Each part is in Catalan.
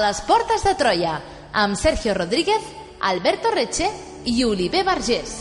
les portes de Troia, amb Sergio Rodríguez, Alberto Reche i Oliver Vergés.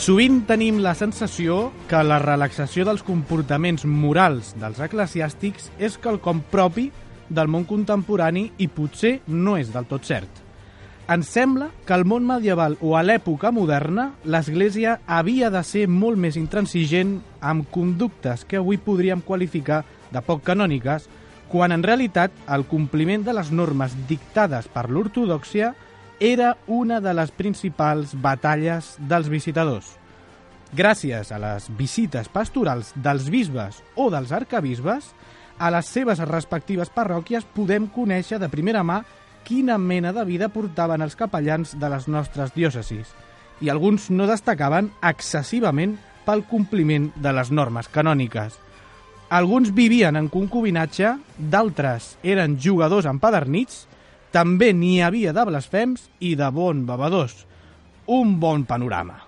Sovint tenim la sensació que la relaxació dels comportaments morals dels eclesiàstics és quelcom propi del món contemporani i potser no és del tot cert. Ens sembla que al món medieval o a l'època moderna l'Església havia de ser molt més intransigent amb conductes que avui podríem qualificar de poc canòniques, quan en realitat el compliment de les normes dictades per l'ortodòxia era una de les principals batalles dels visitadors. Gràcies a les visites pastorals dels bisbes o dels arcabisbes, a les seves respectives parròquies podem conèixer de primera mà quina mena de vida portaven els capellans de les nostres diòcesis, i alguns no destacaven excessivament pel compliment de les normes canòniques. Alguns vivien en concubinatge, d'altres eren jugadors empadernits. També n'hi havia de blasfems i de bon bevedors. Un bon panorama.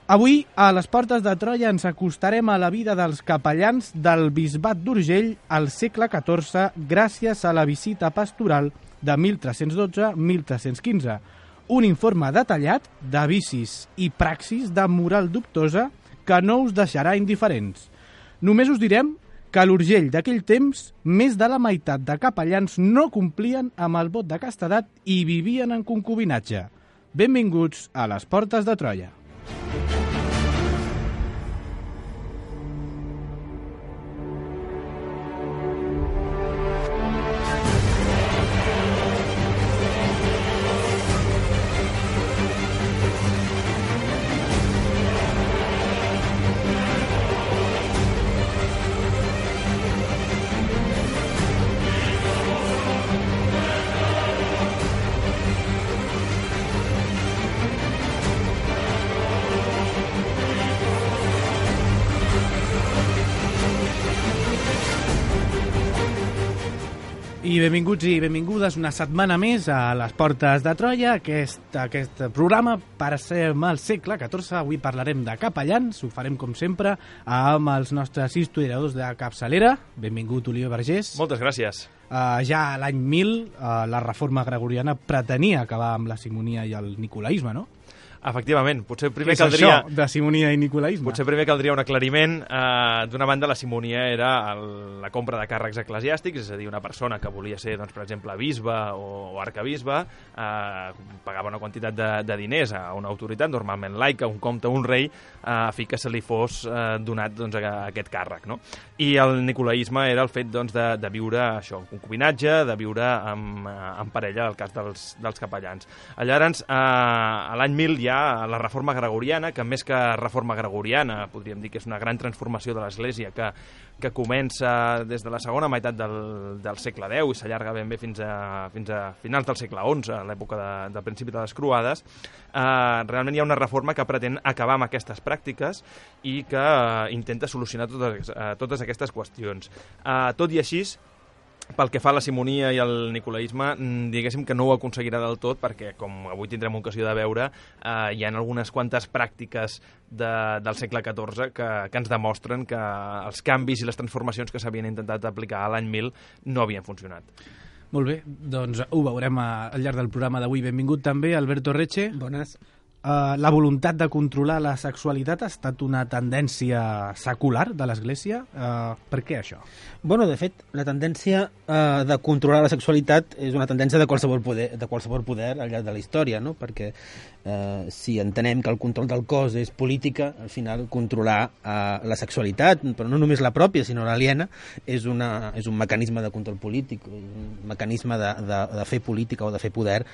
Avui, a les portes de Troia, ens acostarem a la vida dels capellans del bisbat d'Urgell al segle XIV gràcies a la visita pastoral de 1312-1315, un informe detallat de vicis i praxis de moral dubtosa que no us deixarà indiferents. Només us direm que a l'Urgell d'aquell temps, més de la meitat de capellans no complien amb el vot de castedat i vivien en concubinatge. Benvinguts a les portes de Troia. I benvinguts i benvingudes una setmana més a les portes de Troia, aquest programa per ser al segle XIV. Avui parlarem de capellans, ho farem com sempre amb els nostres historiadors de capçalera. Benvingut, Oliver Vergés. Moltes gràcies. Ja l'any 1000 la reforma gregoriana pretenia acabar amb la simonia i el nicolaisme, no? Efectivament, potser primer caldria... Això de simonia i nicolaisme? Potser primer caldria un aclariment. D'una banda, la simonia era la compra de càrrecs eclesiàstics, és a dir, una persona que volia ser, doncs, per exemple, bisbe o arcabisbe, pagava una quantitat de diners a una autoritat, normalment laica, un comte o un rei, a fi que se li fos donat, doncs, aquest càrrec, no? I el nicolaisme era el fet, doncs, de viure això, en concubinatge, de viure en parella, el cas dels capellans. Llavors, a l'any 1000 hi ha la reforma gregoriana, que més que reforma gregoriana podríem dir que és una gran transformació de l'Església que comença des de la segona meitat del segle X i s'allarga ben bé fins a finals del segle XI, a l'època del principi de les Croades. Realment hi ha una reforma que pretén acabar amb aquestes pràctiques i que intenta solucionar totes aquestes qüestions. Tot i així, pel que fa a la simonia i al nicolaisme, diguéssim que no ho aconseguirà del tot, perquè, com avui tindrem ocasió de veure, hi ha algunes quantes pràctiques del segle XIV que ens demostren que els canvis i les transformacions que s'havien intentat aplicar a l'any 1000 no havien funcionat. Molt bé, doncs ho veurem al llarg del programa d'avui. Benvingut també, Alberto Reche. Bones. La voluntat de controlar la sexualitat ha estat una tendència secular de l'Església. Per què això? Bueno, de fet, la tendència de controlar la sexualitat és una tendència de qualsevol poder al llarg de la història, no? Perquè si entenem que el control del cos és política, al final controlar la sexualitat, però no només la pròpia, sinó l'aliena, és un mecanisme de control polític, un mecanisme de fer política o de fer poder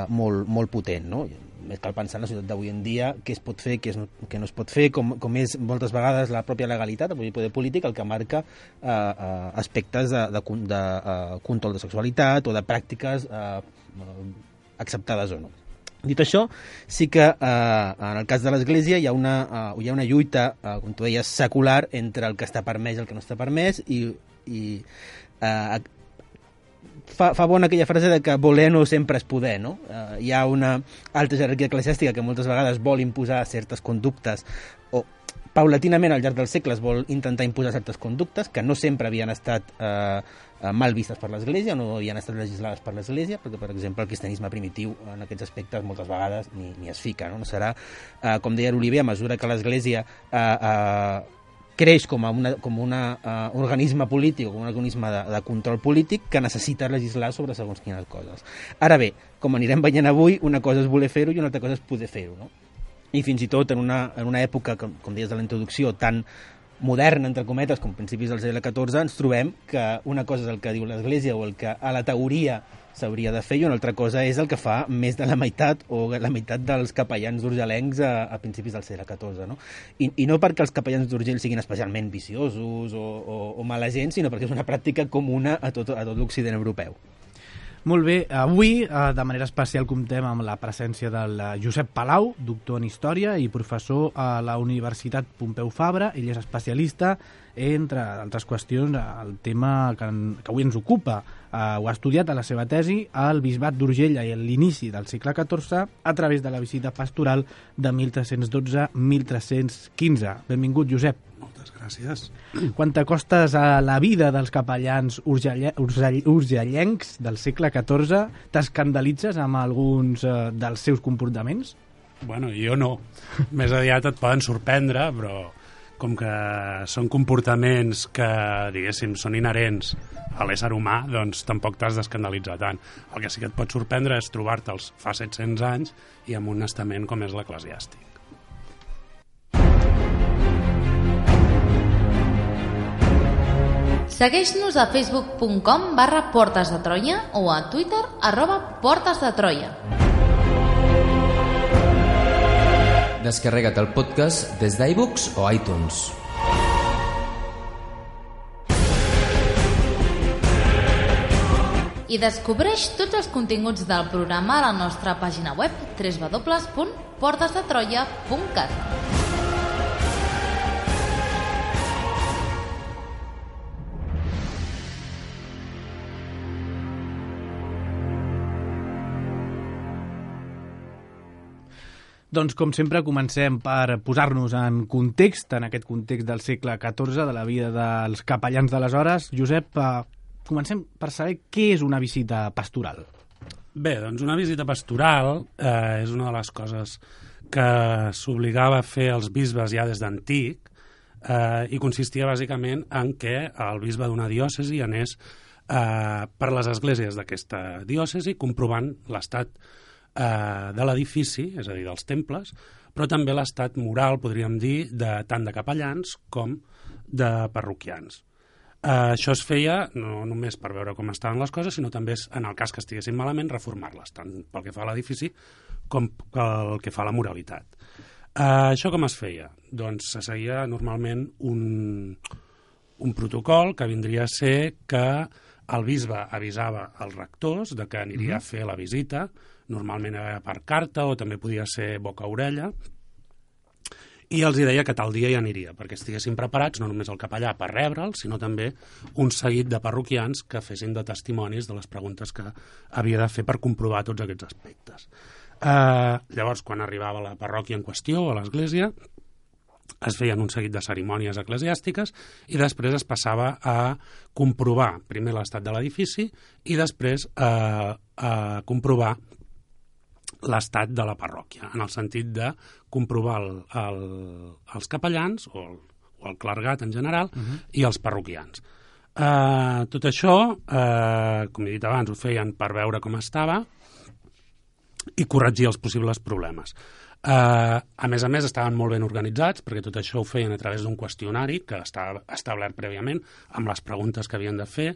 molt potent, no? cal pensar en la societat d'avui en dia què es pot fer, què no es pot fer, com és moltes vegades la pròpia legalitat, el poder polític, el que marca aspectes de control de sexualitat o de pràctiques acceptades o no. Dit això, sí que en el cas de l'Església hi ha una lluita, com tu deies, secular entre el que està permès i el que no està permès, i fa bona aquella frase de que voler no sempre és poder, no? Hi ha una alta jerarquia eclesiàstica que moltes vegades vol imposar certes conductes o paulatinament al llarg dels segles vol intentar imposar certes conductes que no sempre havien estat mal vistes per l'Església, no havien estat legislades per l'Església, perquè, per exemple, el cristianisme primitiu en aquests aspectes moltes vegades ni es fica, no? No serà, com deia l'Oliver, a mesura que l'Església creix com un organisme polític o com un organisme de control polític que necessita legislar sobre segons quines coses. Ara bé, com anirem veient avui, una cosa és voler fer-ho i una altra cosa és poder fer-ho, no? I fins i tot en una època, com deies de la introducció, tan moderna, entre cometes, com principis del segle XIV, ens trobem que una cosa és el que diu l'Església o el que a la teoria s'hauria de fer i una altra cosa és el que fa més de la meitat o la meitat dels capellans d'urgelencs a principis del segle XIV, no? I no perquè els capellans d'Urgell siguin especialment viciosos o mala gent, sinó perquè és una pràctica comuna a tot l'Occident europeu. Molt bé, avui de manera especial comptem amb la presència del Josep Palau, doctor en Història i professor a la Universitat Pompeu Fabra. Ell és especialista, entre altres qüestions, el tema que avui ens ocupa. Ho ha estudiat a la seva tesi al Bisbat d'Urgell a l'inici del segle XIV a través de la visita pastoral de 1312-1315. Benvingut, Josep. Moltes gràcies. Quan t'acostes a la vida dels capellans urgellencs del segle XIV, t'escandalitzes amb alguns dels seus comportaments? Bueno, jo no. Més aviat et poden sorprendre, però com que són comportaments que, diguéssim, són inherents a l'ésser humà, doncs tampoc t'has d'escandalitzar tant. El que sí que et pot sorprendre és trobar-te'ls fa 700 anys i amb un estament com és l'eclesiàstic. Segueix-nos a facebook.com/Portes de Troia o a Twitter @PortesDeTroia. Descarrega't el podcast des d'iVoox o iTunes. I descobreix tots els continguts del programa a la nostra pàgina web www.portesdetroia.cat. Doncs, com sempre, comencem per posar-nos en context, en aquest context del segle XIV, de la vida dels capellans d'aleshores. Josep, comencem per saber què és una visita pastoral. Bé, doncs una visita pastoral és una de les coses que s'obligava a fer els bisbes ja des d'antic i consistia bàsicament en què el bisbe d'una diòcesi anés per les esglésies d'aquesta diòcesi comprovant l'estat de l'edifici, és a dir, dels temples, però també l'estat moral, podríem dir, tant de capellans com de parroquians. Això es feia no només per veure com estaven les coses, sinó també, en el cas que estiguessin malament, reformar-les, tant pel que fa a l'edifici com pel que fa a la moralitat. Això com es feia? Doncs se seguia normalment un protocol que vindria a ser que el bisbe avisava als rectors de que aniria a fer la visita, normalment era per carta o també podia ser boca-orella, i els deia que tal dia hi aniria, perquè estiguessin preparats no només el capellà per rebre'l, sinó també un seguit de parroquians que fessin de testimonis de les preguntes que havia de fer per comprovar tots aquests aspectes. Llavors, quan arribava a la parròquia en qüestió, a l'església, es feien un seguit de cerimònies eclesiàstiques i després es passava a comprovar primer l'estat de l'edifici i després a comprovar l'estat de la parròquia, en el sentit de comprovar els capellans o el clergat en general i els parroquians. Tot això, com he dit abans, ho feien per veure com estava i corregir els possibles problemes. A més, estaven molt ben organitzats, perquè tot això ho feien a través d'un qüestionari que estava establert prèviament, amb les preguntes que havien de fer.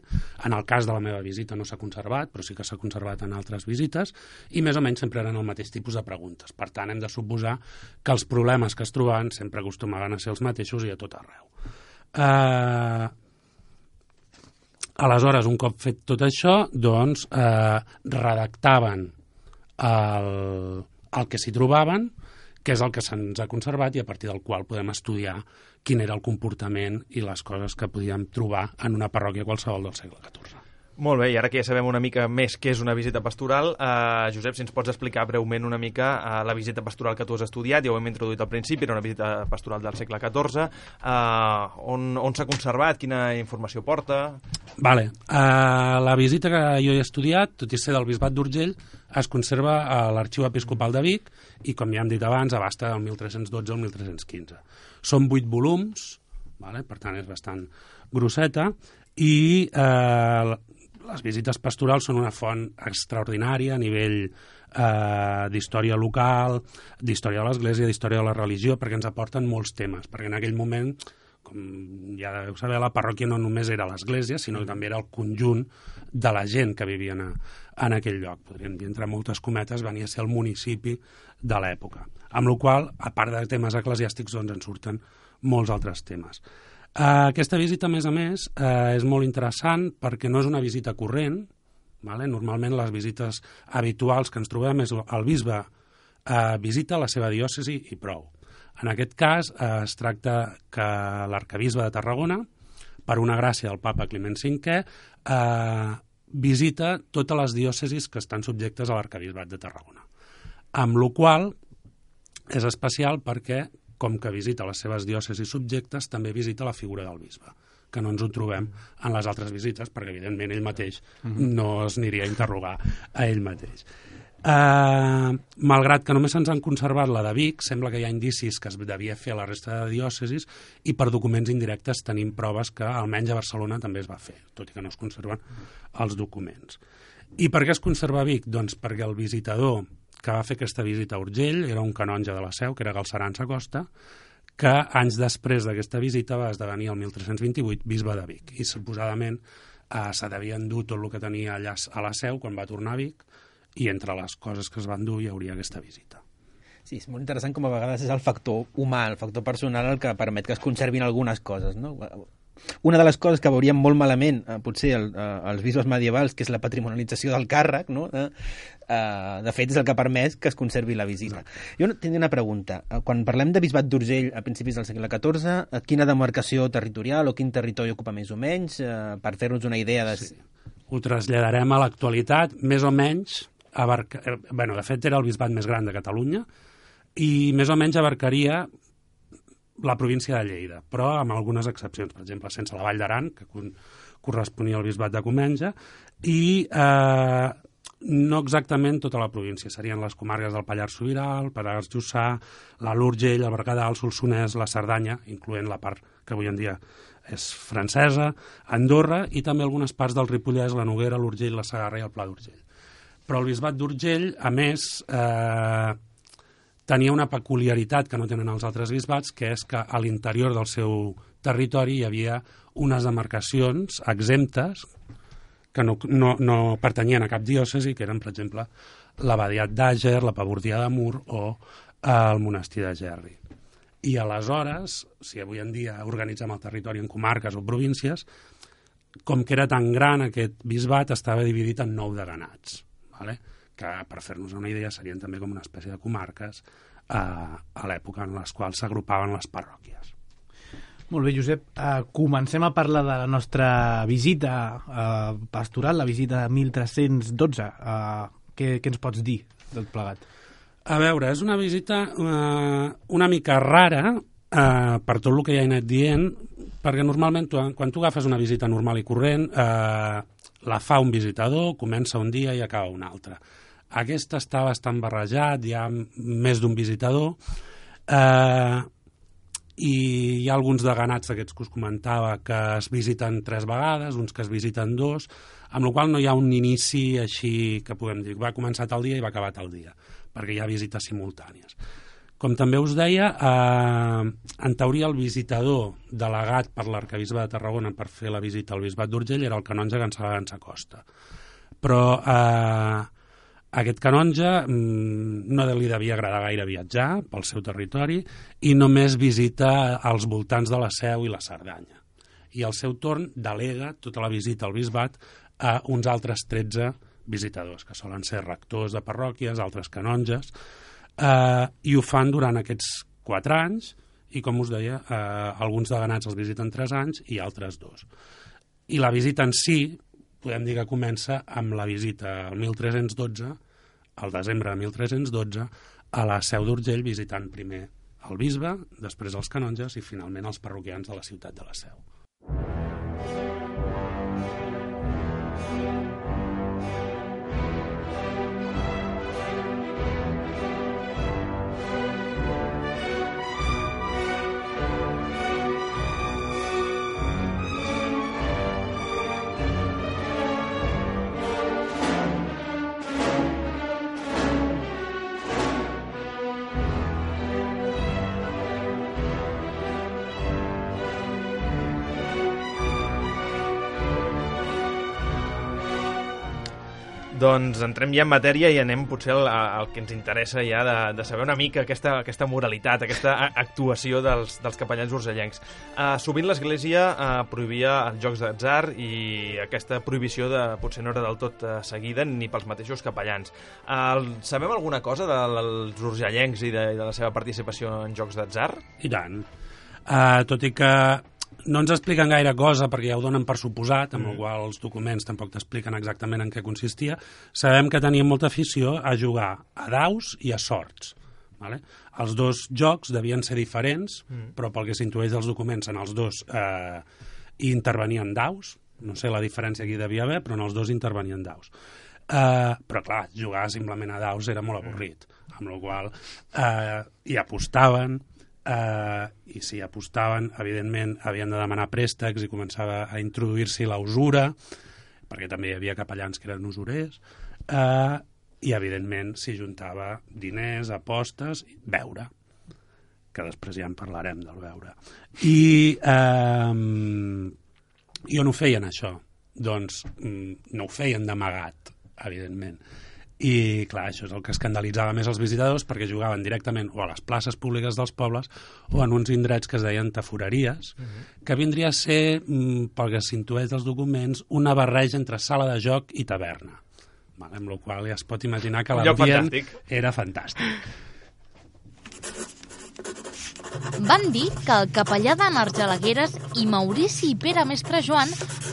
En el cas de la meva visita no s'ha conservat, però sí que s'ha conservat en altres visites, i més o menys sempre eren el mateix tipus de preguntes. Per tant, hem de suposar que els problemes que es trobaven sempre acostumaven a ser els mateixos i a tot arreu. Aleshores, un cop fet tot això, doncs, redactaven el que s'hi trobaven, que és el que se'ns ha conservat i a partir del qual podem estudiar quin era el comportament i les coses que podíem trobar en una parròquia qualsevol del segle XIV. Molt bé, i ara que ja sabem una mica més què és una visita pastoral, Josep, si ens pots explicar breument una mica la visita pastoral que tu has estudiat, ja ho hem introduït al principi, era una visita pastoral del segle XIV, on s'ha conservat, quina informació porta? Vale. La visita que jo he estudiat, tot i ser del Bisbat d'Urgell, es conserva a l'Arxiu Episcopal de Vic i, com ja hem dit abans, abasta del 1312 al 1315. Són 8 volums, vale? Per tant és bastant grosseta, i les visites pastorals són una font extraordinària a nivell d'història local, d'història de l'Església, d'història de la religió, perquè ens aporten molts temes, perquè en aquell moment, com ja deveu saber, la parròquia no només era l'Església, sinó que també era el conjunt de la gent que vivia en aquell lloc. Podríem dir, entre moltes cometes, venia a ser el municipi de l'època. Amb la qual cosa, a part de temes eclesiàstics, doncs en surten molts altres temes. Aquesta visita, a més, és molt interessant perquè no és una visita corrent. Vale? Normalment les visites habituals que ens trobem és el bisbe visita la seva diòcesi i prou. En aquest cas es tracta que l'arcabisbe de Tarragona, per una gràcia del papa Climent V, visita totes les diòcesis que estan subjectes a l'arcabisbat de Tarragona. Amb la qual és especial perquè, com que visita les seves diòcesis subjectes, també visita la figura del bisbe, que no ens ho trobem en les altres visites, perquè evidentment ell mateix no es aniria a interrogar a ell mateix. Malgrat que només se'ns han conservat la de Vic, sembla que hi ha indicis que es devia fer a la resta de diòcesis i per documents indirectes tenim proves que almenys a Barcelona també es va fer, tot i que no es conserven els documents. I per què es conserva a Vic? Doncs perquè el visitador que va fer aquesta visita a Urgell era un canonge de la Seu, que era Galceran Sacosta, que anys després d'aquesta visita va esdevenir el 1328 bisbe de Vic i suposadament se devia endur tot el que tenia allà a la Seu quan va tornar a Vic, i entre les coses que es van dur hi hauria aquesta visita. Sí, és molt interessant com a vegades és el factor humà, el factor personal el que permet que es conservin algunes coses, no? Una de les coses que veuríem molt malament, potser els bisbes medievals, que és la patrimonialització del càrrec, no? De fet, és el que ha permès que es conservi la visita. Jo tenia una pregunta. Quan parlem de Bisbat d'Urgell a principis del segle XIV, quina demarcació territorial o quin territori ocupa més o menys, per fer-nos una idea de... Sí. Ho traslladarem a l'actualitat, més o menys... de fet, era el bisbat més gran de Catalunya i més o menys abarcaria la província de Lleida, però amb algunes excepcions, per exemple, sense la Vall d'Aran, que corresponia al bisbat de Comenge, i no exactament tota la província, serien les comarques del Pallars Sobirà, el Pallars Jussà, l'Alt Urgell, el Berguedà, el Solsonès, la Cerdanya, incloent la part que avui en dia és francesa, Andorra, i també algunes parts del Ripollès, la Noguera, l'Urgell, la Segarra i el Pla d'Urgell. Però el bisbat d'Urgell, a més, tenia una peculiaritat que no tenen els altres bisbats, que és que a l'interior del seu territori hi havia unes demarcacions exemptes que no pertanyien a cap diòcesi, que eren, per exemple, l'Abadiat d'Àger, la Pavordia de Mur o el monestir de Gerri. I aleshores, si avui en dia organitzem el territori en comarques o províncies, com que era tan gran aquest bisbat, estava dividit en 9 deganats, que per fer-nos una idea serien també com una espècie de comarques a l'època en les quals s'agrupaven les parròquies. Molt bé, Josep. Comencem a parlar de la nostra visita pastoral, la visita de 1312. Què ens pots dir del plegat? A veure, és una visita una mica rara per tot el que ja he anat dient, perquè normalment quan tu agafes una visita normal i corrent la fa un visitador, comença un dia i acaba un altre. Aquesta està bastant barrejat, hi ha més d'un visitador i hi ha alguns deganats d'aquests que us comentava que es visiten 3 vegades, uns que es visiten 2, amb la qual no hi ha un inici així que podem dir va començar tal dia i va acabar tal dia, perquè hi ha visites simultànies. Com també us deia, en teoria el visitador delegat per l'arquebisbe de Tarragona per fer la visita al bisbat d'Urgell era el canonge Gansa Costa. Però aquest canonge no li devia agradar gaire viatjar pel seu territori i només visita als voltants de la Seu i la Cerdanya. I al seu torn delega tota la visita al bisbat a uns altres 13 visitadors, que solen ser rectors de parròquies, altres canonges, i ho fan durant aquests 4 anys, i com us deia, alguns deganats els visiten 3 anys i altres 2. I la visita en si, podem dir que comença amb la visita al 1312, al desembre de 1312, a la Seu d'Urgell, visitant primer el bisbe, després els canonges i finalment els parroquians de la ciutat de la Seu. Doncs entrem ja en matèria i anem potser al que ens interessa ja de saber una mica aquesta moralitat, aquesta actuació dels capellans urgellencs. Sovint l'Església prohibia els jocs d'atzar i aquesta prohibició potser no era del tot seguida ni pels mateixos capellans. Sabem alguna cosa dels urgellencs i de la seva participació en jocs d'atzar? I tant. Tot i que no ens expliquen gaire cosa perquè ja ho donen per suposat, amb el qual els documents tampoc t'expliquen exactament en què consistia, sabem que tenien molta afició a jugar a daus i a sorts. Vale? Els dos jocs devien ser diferents, però pel que s'intueix dels documents en els dos hi intervenien daus, no sé la diferència que hi devia haver, però en els dos intervenien daus. Però clar, jugar simplement a daus era molt avorrit, amb la qual hi apostaven, i si apostaven, evidentment, havien de demanar préstecs i començava a introduir-s'hi la usura, perquè també hi havia capellans que eren usurers, i, evidentment, s'hi juntava diners, apostes i beure, que després ja en parlarem del beure. I on ho feien, això? Doncs no ho feien d'amagat, evidentment. I, clar, això és el que escandalitzava més els visitadors perquè jugaven directament o a les places públiques dels pobles o en uns indrets que es deien taforeries, que vindria a ser, pel que s'intueix dels documents, una barreja entre sala de joc i taverna. Amb la qual ja es pot imaginar que l'ambient era fantàstic. Van dir que el capellà de Argelagueres i Maurici i Pere Mestre Joan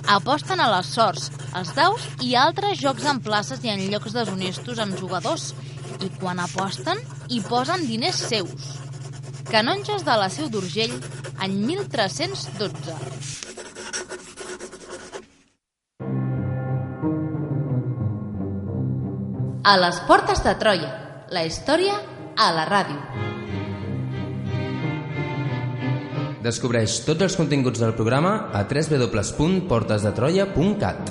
aposten a les sorts, els daus i altres jocs en places i en llocs deshonestos amb jugadors, i quan aposten hi posen diners seus. Canonges de la Seu d'Urgell, any 1312. A les portes de Troia, la història a la ràdio. Descobreix tots els continguts del programa a www.portesdetroia.cat.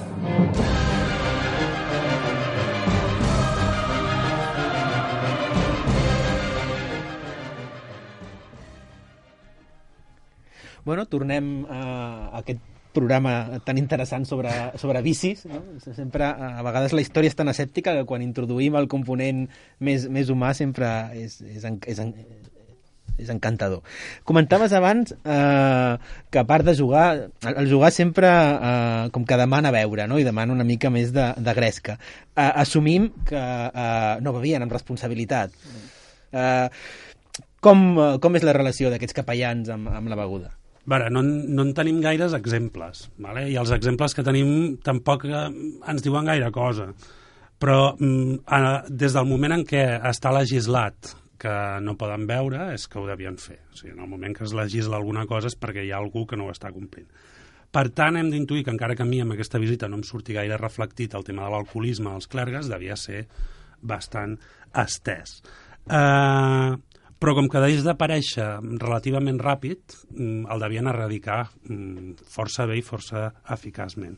Bueno, tornem a aquest programa tan interessant sobre vicis, no? Sempre, a vegades la història és tan escèptica que quan introduïm el component més humà sempre és encantador. Comentaves abans que a part de jugar, el jugar sempre com que demana beure, no? I demana una mica més de gresca. Assumim que no bevien amb responsabilitat. Com és la relació d'aquests capellans amb la beguda? No en tenim gaires exemples, vale? I els exemples que tenim tampoc ens diuen gaire cosa. Però des del moment en què està legislat que no poden beure és que ho devien fer. O sigui, en el moment que es legisla alguna cosa és perquè hi ha algú que no ho està complint. Per tant, hem d'intuir que encara que a mi amb aquesta visita no em surti gaire reflectit el tema de l'alcoholisme als clergues, devia ser bastant estès. Però com que deix d'aparèixer relativament ràpid, el devien erradicar força bé i força eficaçment.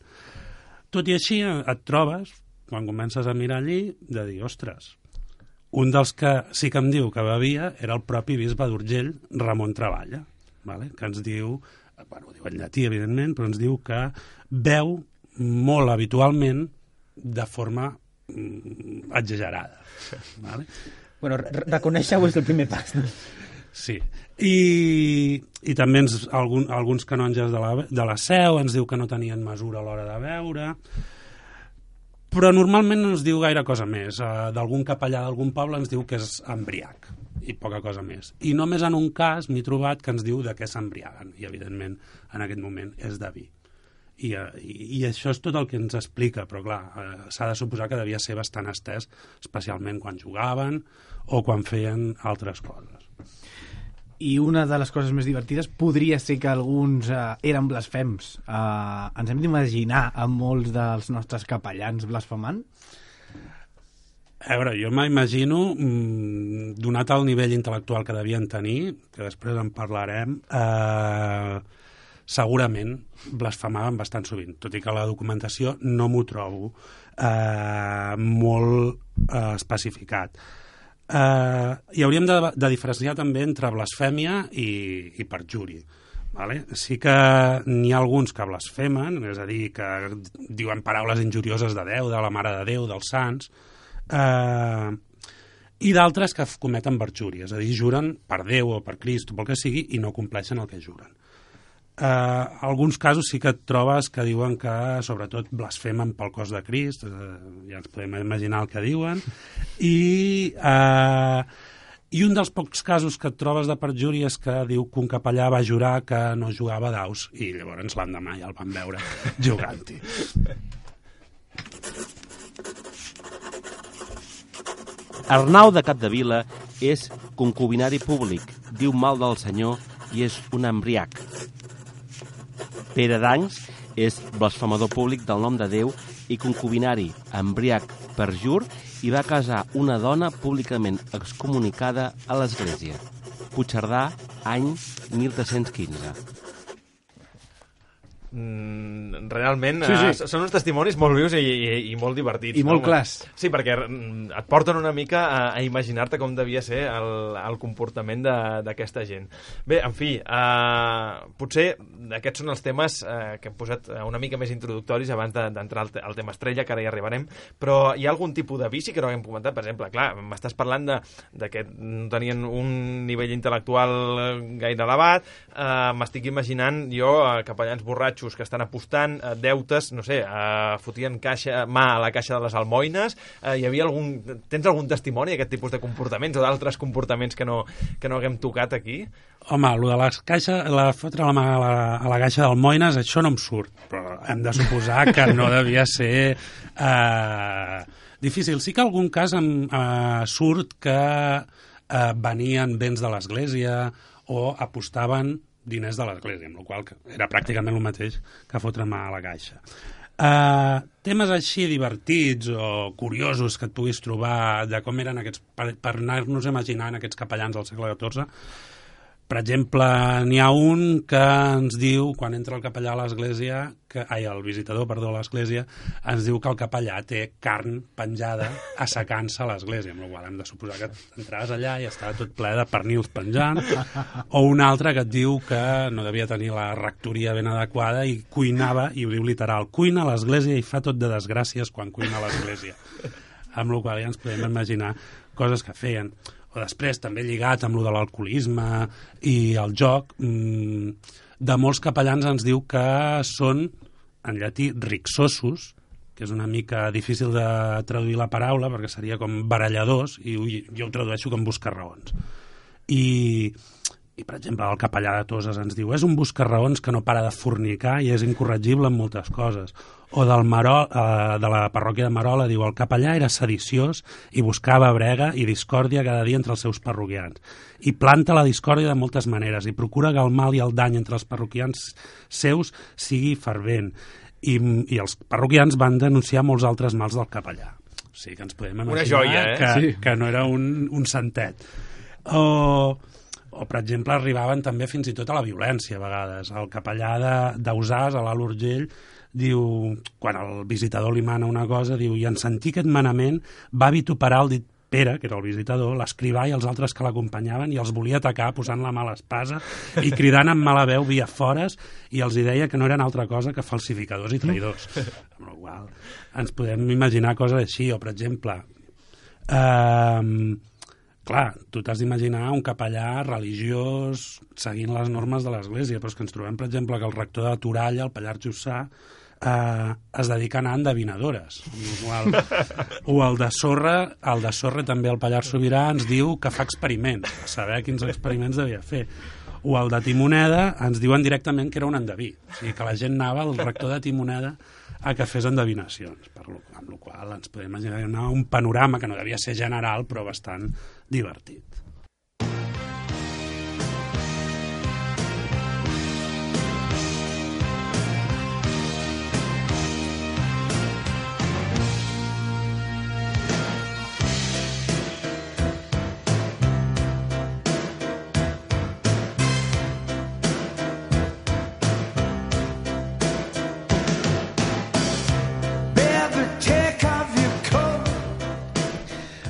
Tot i així, et trobes, quan comences a mirar allí, de dir, ostres, Un dels que sí que em diu que bevia era el propi bisbe d'Urgell, Ramon Treballa, vale? Que ens diu, bueno, ho diu en llatí, evidentment, però ens diu que beu molt habitualment de forma exagerada. Vale? Bueno, reconèixer-ho és el primer pas. No? Sí. I també alguns canonges de la Seu ens diu que no tenien mesura a l'hora de beure, però normalment no ens diu gaire cosa més. D'algun capellà d'algun poble ens diu que és embriac i poca cosa més. I només en un cas m'he trobat que ens diu de què s'embriaguen, i evidentment en aquest moment és de vi. I això és tot el que ens explica, però clar, s'ha de suposar que devia ser bastant estès, especialment quan jugaven o quan feien altres coses. I una de les coses més divertides podria ser que alguns eren blasfems. Ens hem d'imaginar a molts dels nostres capellans blasfemant? A veure, jo m'imagino, donat el nivell intel·lectual que devien tenir, que després en parlarem, segurament blasfemaven bastant sovint, tot i que la documentació no m'ho trobo molt especificat. I hauríem de diferenciar també entre blasfèmia i perjuri. Vale? Sí que n'hi ha alguns que blasfemen, és a dir, que diuen paraules injurioses de Déu, de la Mare de Déu, dels sants, i d'altres que cometen perjuri, és a dir, juren per Déu o per Crist o pel que sigui i no compleixen el que juren. Alguns casos sí que et trobes que diuen que sobretot blasfemen pel cos de Crist, ja ens podem imaginar el que diuen, i un dels pocs casos que et trobes de perjuri és que diu que un capellà va jurar que no jugava daus i llavors l'endemà ja el van veure jugant-hi. Arnau de Capdevila és concubinari públic, diu mal del senyor i és un embriac. Pere d'Ancs és blasfemador públic del nom de Déu i concubinari, embriac, perjur, i va casar una dona públicament excomunicada a l'Església. Puigcerdà, any 1315. Realment són uns testimonis molt vius i molt divertits. I molt clars. Sí, perquè et porten una mica a imaginar-te com devia ser el comportament d'aquesta gent. Bé, en fi, potser aquests són els temes que hem posat una mica més introductoris abans d'entrar al tema estrella, que ara hi arribarem, però hi ha algun tipus de vici que no haguem comentat? Per exemple, clar, m'estàs parlant de que no tenien un nivell intel·lectual gaire elevat, m'estic imaginant jo capellans borratxos que estan apostant, deutes, no sé, fotien mà a la caixa de les almoines, tens algun testimoni d'aquest tipus de comportaments o d'altres comportaments que no haguem tocat aquí? Home, el de fotre la mà a la caixa d'almoines, això no em surt, però hem de suposar que no devia ser difícil. Sí que en algun cas surt que venien béns de l'Església o apostaven diners de l'Església, amb la qual era pràcticament el mateix que fotre mà a la caixa. Temes així divertits o curiosos que et puguis trobar de com eren aquests, per anar-nos imaginant aquests capellans del segle XIV. Per exemple, n'hi ha un que ens diu, quan entra el capellà a l'església, el visitador, perdó, a l'església, ens diu que el capellà té carn penjada assecant-se a l'església, amb la qual hem de suposar que entraves allà i estava tot ple de pernils penjant, o un altre que et diu que no devia tenir la rectoria ben adequada i cuinava, i ho diu literal, cuina a l'església i fa tot de desgràcies quan cuina a l'església. Amb la qual ja ens podem imaginar coses que feien. O després, també lligat amb lo de l'alcoholisme i el joc, de molts capellans ens diu que són, en llatí, rixossos, que és una mica difícil de traduir la paraula, perquè seria com baralladors, i jo ho tradueixo com buscar-raons. I, per exemple, el capellà de Toses ens diu és un buscar-raons que no para de fornicar i és incorregible en moltes coses. O de la parròquia de Marola diu el capellà era sediciós i buscava brega i discòrdia cada dia entre els seus parroquians. I planta la discòrdia de moltes maneres i procura que el mal i el dany entre els parroquians seus sigui fervent. I els parroquians van denunciar molts altres mals del capellà. O sigui que ens podem imaginar una joia, que no era un santet. O, per exemple, arribaven també fins i tot a la violència a vegades. El capellà d'Ausàs, a l'Alt Urgell, diu, quan el visitador li mana una cosa, diu, i en sentir aquest manament va vituperar el dit Pere, que era el visitador, l'escrivà i els altres que l'acompanyaven i els volia atacar posant la mà a l'espasa i cridant amb mala veu via fores i els deia que no eren altra cosa que falsificadors i traïdors. Amb la qual ens podem imaginar coses així, o per exemple, clar, tu t'has d'imaginar un capellà religiós seguint les normes de l'Església, però és que ens trobem, per exemple, que el rector de Toralla, el Pallars Jussà, es dedica a anar a endevinadores. O el de Sorra també el Pallars Sobirà ens diu que fa experiments, a saber quins experiments devia fer. O el de Timoneda ens diuen directament que era un endeví, o sigui que la gent anava al rector de Timoneda a que fes endevinacions, amb la qual ens podem imaginar un panorama que no devia ser general però bastant divertit.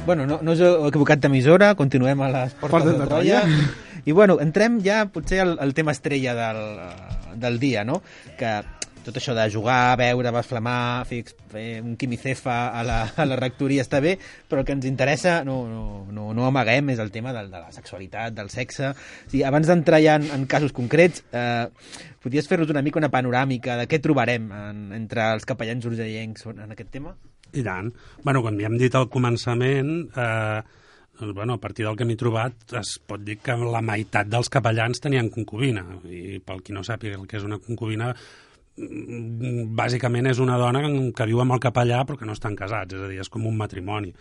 Bueno, no us heu equivocat d'emissora, continuem a les portes de Troia. I bueno, entrem ja potser al tema estrella del dia, no? Que tot això de jugar, beure, blasfemar, fer un quimicefa a la rectoria està bé, però el que ens interessa, no amaguem, és el tema de la sexualitat, del sexe. O sigui, abans d'entrar ja en casos concrets, podries fer-nos una mica una panoràmica de què trobarem entre els capellans urgellencs en aquest tema? I tant. Bueno, quan ja hem dit al començament, a partir del que m'he trobat, es pot dir que la meitat dels capellans tenien concubina. I pel qui no sàpiga el que és una concubina, bàsicament és una dona que viu amb el capellà però que no estan casats, és a dir, és com un matrimoni.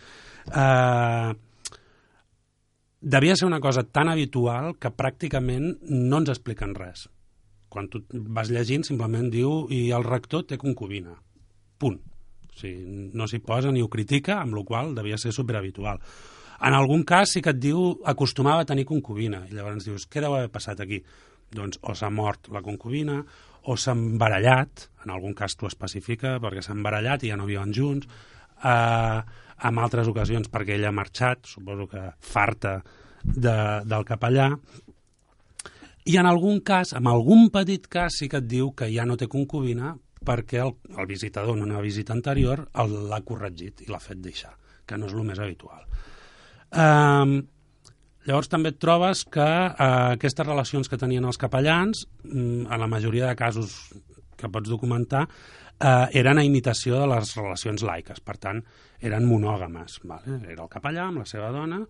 Devia ser una cosa tan habitual que pràcticament no ens expliquen res. Quan tu vas llegint simplement diu i el rector té concubina. Punt. O sigui, no s'hi posa ni ho critica, amb la qual devia ser superhabitual. En algun cas sí que et diu acostumava a tenir concubina, i llavors dius, què deu haver passat aquí? Doncs o s'ha mort la concubina, o s'ha embarallat, en algun cas t'ho especifica, perquè s'ha embarallat i ja no viuen junts, en altres ocasions perquè ella ha marxat, suposo que farta del capellà, i en algun cas, en algun petit cas, sí que et diu que ja no té concubina, perquè el visitador en una visita anterior l'ha corregit i l'ha fet deixar, que no és el més habitual. Llavors també et trobes que aquestes relacions que tenien els capellans, en la majoria de casos que pots documentar, eren a imitació de les relacions laiques, per tant, eren monògames. Vale? Era el capellà amb la seva dona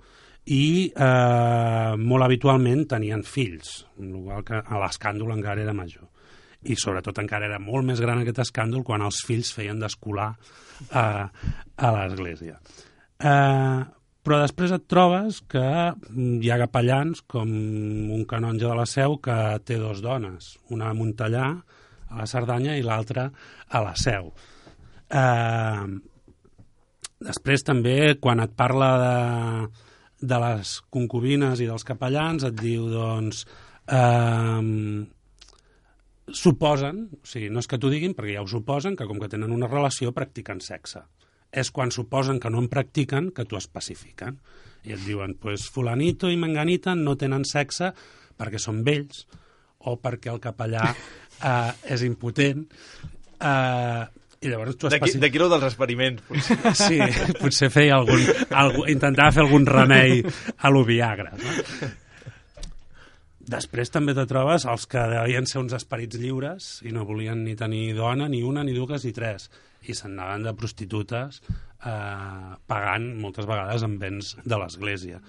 i molt habitualment tenien fills, igual que l'escàndol encara era major. I sobretot encara era molt més gran aquest escàndol quan els fills feien d'escolar a l'església. Però després et trobes que hi ha capellans com un canonge de la Seu que té dues dones, una a Montellà, a la Cerdanya, i l'altra a la Seu. Després també, quan et parla de les concubines i dels capellans, et diu, doncs, suposen, o sigui, no és que t'ho diguin, perquè ja ho suposen, que com que tenen una relació practiquen sexe. És quan suposen que no en practiquen que t'ho especifiquen. I et diuen, pues fulanito i menganita no tenen sexe perquè són vells o perquè el capellà és impotent. I llavors t'ho especifiquen. D'aquí lo dels experiments, potser. Sí, potser feia intentava fer algun remei a lo Viagra, no? Després també te trobes els que devien ser uns esperits lliures i no volien ni tenir dona, ni una, ni dues, ni tres. I se'n anaven de prostitutes pagant moltes vegades amb béns de l'església.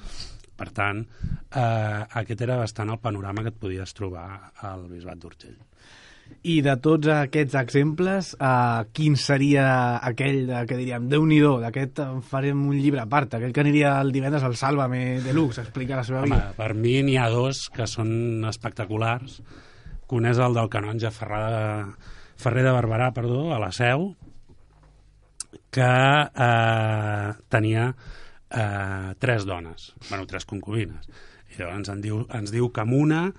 Per tant, aquest era bastant el panorama que et podies trobar al Bisbat d'Urgell. I de tots aquests exemples, quin seria aquell que diríem, Déu-n'hi-do, d'aquest farem un llibre a part, aquell que aniria el divendres al Sálvame Deluxe, a explicar la seva vida? Per mi n'hi ha dos que són espectaculars, que un és el del canonge Ferrer de Barberà, a la Seu, que tenia tres dones, tres concubines. I llavors ens diu que amb una